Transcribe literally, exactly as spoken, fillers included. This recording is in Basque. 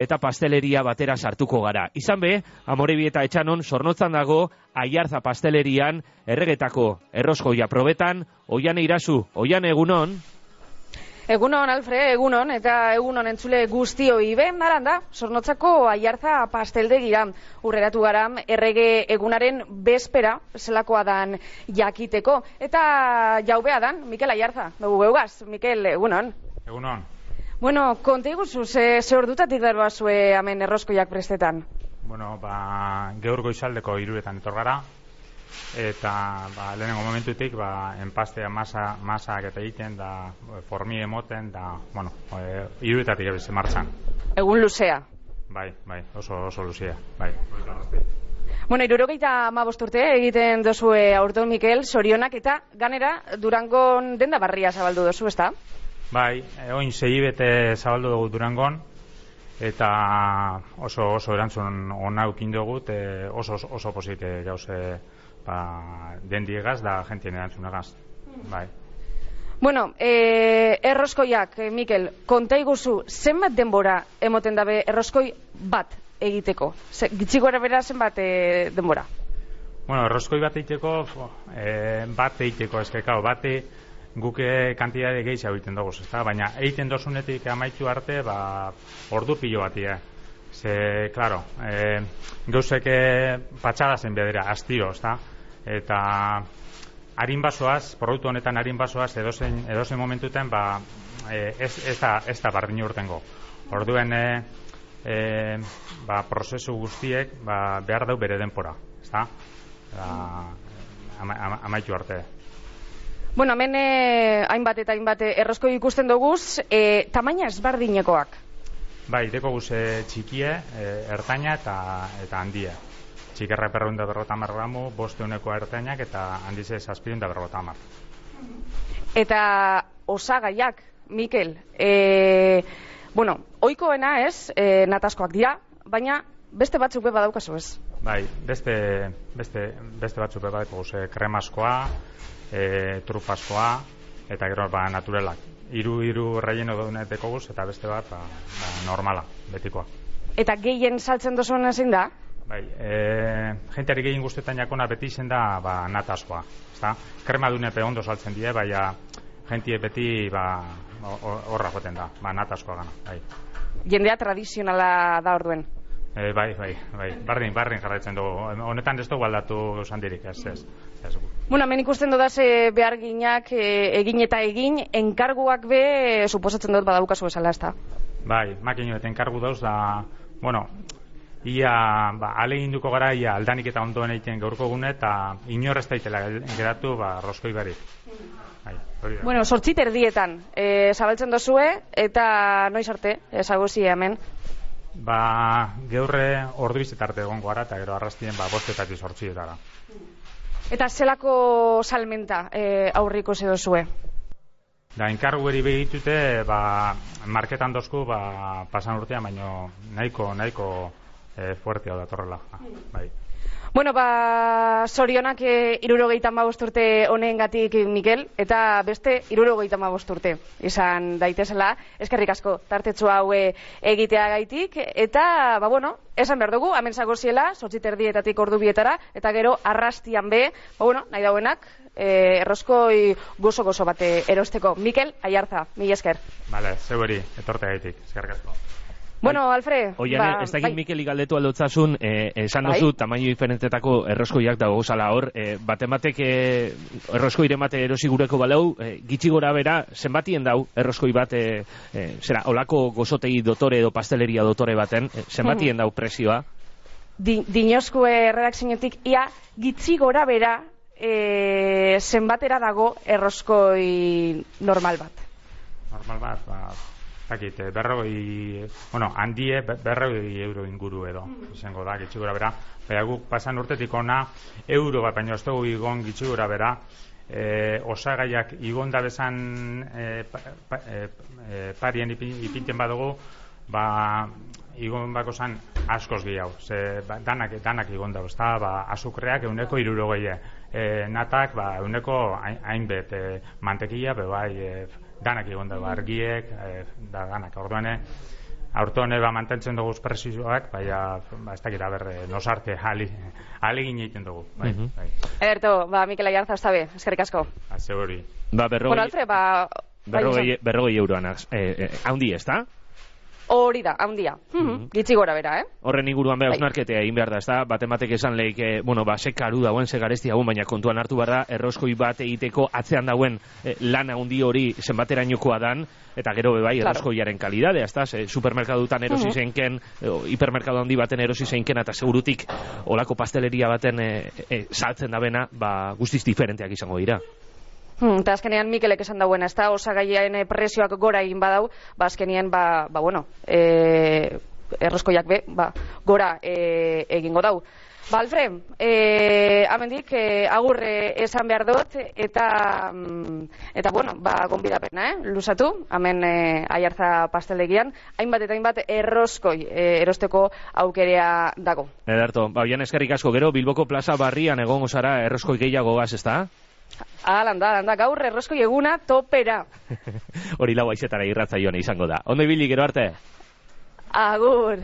eta pasteleria batera sartuko gara. Izan be, Amorebieta Etxanon Zornotzan dago Aiartza pastelerian erregetako erroskoia probetan. Oiane Irazu, Oiane, egunon? Egunon, Alfre, egunon, eta egunon entzule guztioi. Ben, naran da, Zornotzako Aiartza pasteldegira urreratu gara errege egunaren bezpera, zelakoa dan jakiteko. Eta jaubea dan, Mikel Aiartza, dugu geugaz. Mikel, egunon. Egunon. Bueno, konta iguzu, ze, ze ordutatik darba zue hemen erroskoiak prestetan? Bueno, ba, gaur goizaldeko hiruretan etor gara, eta ba, lehenengo momentutik ba, enpastea masa, masak eta egiten, da formi emoten, da, bueno, e, hiruretatik ebeze martxan. Egun luzea. Bai, bai, oso, oso luzea, bai. Bueno, hirurogeita hamabost urte egiten dozue aurton, Mikel, zorionak, eta ganera Durangon denda barria zabaldu dozu, ezta? Bai, oin sei bete zabaldu dugu Durangon, eta oso oso erantzun ona ukin dugu, e, oso oso posite gauze ba, dendiegaz da jentien erantzunagaz. Bai. Bueno, e, erroskoiak, e, Mikel, konta iguzu, zenbat denbora emoten dabe erroskoi bat egiteko? Gitxiko erabera zenbat e, denbora? Bueno, erroskoi bat egiteko, e, bat egiteko eskekao, bate guke kantidade gehiago egiten dugu, ezta? Baina egiten dozunetik amaitu arte, ba, ordu pilo bati, eh? Ze, claro, e, gauzeke patxagazen bedera, astiro, ezta? Eta harin basoaz, produktu honetan harin basoaz, edozein, edozein momentuten, ba, e, ez, ez da, ez da bardin urtengo. Orduen, e, e, ba, prozesu guztiek, ba, behar dau bere denpora, ezta? Ama, ama, amaitu arte. Bueno, hemen eh, hainbat eta hainbat erroskoi ikusten doguz, eh, tamaina ezberdinekoak. Bai, deko guz eh, txikie, eh, ertaina eta, eta handie. Txikerra perrun da berrota hamar gramu, boste uneko ertainak eta handize zazpirun da berrota hamar. Eta osagaiak, Mikel, eh, bueno, oikoena ez, eh, nataskoak dira, baina beste batzuk be badaukazu ez? Bai, beste, beste, beste batzuk be badaukazu guz, eh, kremaskoa, E, trufaskoa eta gero ba, naturalak. Hiru hiru relleno duneteko guz eta beste bat ba, ba, normala, betikoa. Eta gehien saltzen dozuen ezin da? Bai, e, jenteari gehien guztetan jakona beti izen da ba, nataskoa. Ezta? Krema dunepe ondo saltzen die, baina jentie beti ba, horra joten da, ba, nataskoa gana. Bai. Jendea tradizionala da orduen? E, bai, bai, bai, bardin, bardin jarraitzen dugu. Honetan ez dugu aldatu handirik, ez, ez. ez. Bueno, hemen ikusten dudaz e, behar ginak e, egin eta egin, enkarguak be, e, suposatzen dut badaukazu esala, ez da? Bai, makinu eta enkargu dauz da, bueno, ia, ba, alegin duko gara, ia aldanik eta ondoen egiten gaurko gune, eta inorrez daitela geratu, ba, roskoi barik. Bai, bueno, sortzit erdietan, e, zabaltzen dozue, eta noiz arte, ezaguzi hemen? Ba, geurre ordu bizetarte egon gara, eta gero arrastien ba, bostetatik sortzietara. Eta zelako salmenta e, aurriko zedozue? Da, enkargu beri behitute, ba, marketan dozku, ba, pasan urtean, baino nahiko, nahiko e, fuertea da torrela. Bai. Bueno, ba, zorionak e, irurogeita hamabost urte honengatik, Mikel, eta beste irurogeita hamabost urte izan daitezela, eskerrik asko tartetxu hau egitea gaitik, eta, ba, bueno, esan behar dugu, hemen zagoziela, zortzit erdietatik ordu bietara, eta gero arrastian be, ba, bueno, nahi dauenak, e, erroskoi gozo-gozo bate erosteko. Mikel Aiartza, mila esker. Bale, zeuberi, etorte gaitik, eskerrik asko. Bueno, Alfred, Oiane, ba, ez dakit bai. Mikeli galdetu aldotzasun, eh, esan Bai. dozu, tamaino diferentetako erroskoiak dago zala hor, eh, batematek eh, erroskoi mate erosi gureko balau, eh, gitxi gora bera, zenbatien dau erroskoi bat, eh, eh, zera, olako gozotegi dotore edo pasteleria dotore baten, eh, zenbatien dau presioa? Di, Dinoskue redakzionetik, ia gitxi gora bera, eh, zenbatera dago erroskoi normal bat? Normal bat, ba... Zakit, berrogei, bueno, handie berrogei euro inguru edo, izango da, gitxigura bera. Baina guk pasan urtetik ona, euro bat, baina ez dugu igon gitxigura bera, e, osagaiak igon da bezan e, pa, pa, e, e, parien ipinten badugu, ba, igon bako zan askoz gehiago. Ze, ba, danak, danak igon da, ezta, ba, azukreak euneko irurogeie, e, natak, ba, euneko hainbet, e, mantekilla, be bai, e, danak egon da, argiek, e, da danak, orduan, aurton eba mantentzen dugu presioak, baina, ba, ez dakit, aber, nosarte, alegin egiten dugu, bai, Mhm. bai. Ederto, ba, Mikel Aiartza, ez dabe, eskerrik asko. Azte hori. Ba, Bueno, berrogei, Alfred, ba... bai, berrogei, esan. berrogei euroan, eh, eh, haundi, ez da? Hori da, handia. Mhm, Gitxi gora bera, eh? Horren inguruan beha Bai. ausnarketea egin behar da, ez da? Batematek esan lehik, eh, bueno, ba, ze karu dauen, ze garesti dauen, baina kontuan hartu behar da, erroskoi bat egiteko atzean dauen eh, lan handi hori zenbaterainokoa dan, eta gero bebai Claro. erroskoiaren kalidadea, ez da? Ze, supermerkadutan erosi Mhm. zeinken, eh, hipermerkadu handi baten erosi zeinken, eta segurutik olako pasteleria baten eh, eh, saltzen dabena, ba, guztiz diferenteak izango dira. Hmm, eta azkenean Mikelek esan dauen, ez da, osagaien eh, presioak gora egin badau, ba azkenean, ba, ba bueno, e, erroskoiak be, ba, gora e, egingo dau. Ba, Alfred, e, amendik, e, agur e, esan behar dut, eta, mm, eta bueno, ba, gonbidapena, eh? Luzatu, hemen e, Aiartza pastelegian, hainbat eta hainbat erroskoi e, erosteko aukerea dago. Ederto, ba, bian eskerrik asko, gero, Bilboko plaza barrian egongo zara erroskoi gehiago gaz, ez da? Alanda, alanda, gaur erroskoi eguna topera. Hori lau aizetara irratza joan izango da. Ondo ibili, gero arte? Agur!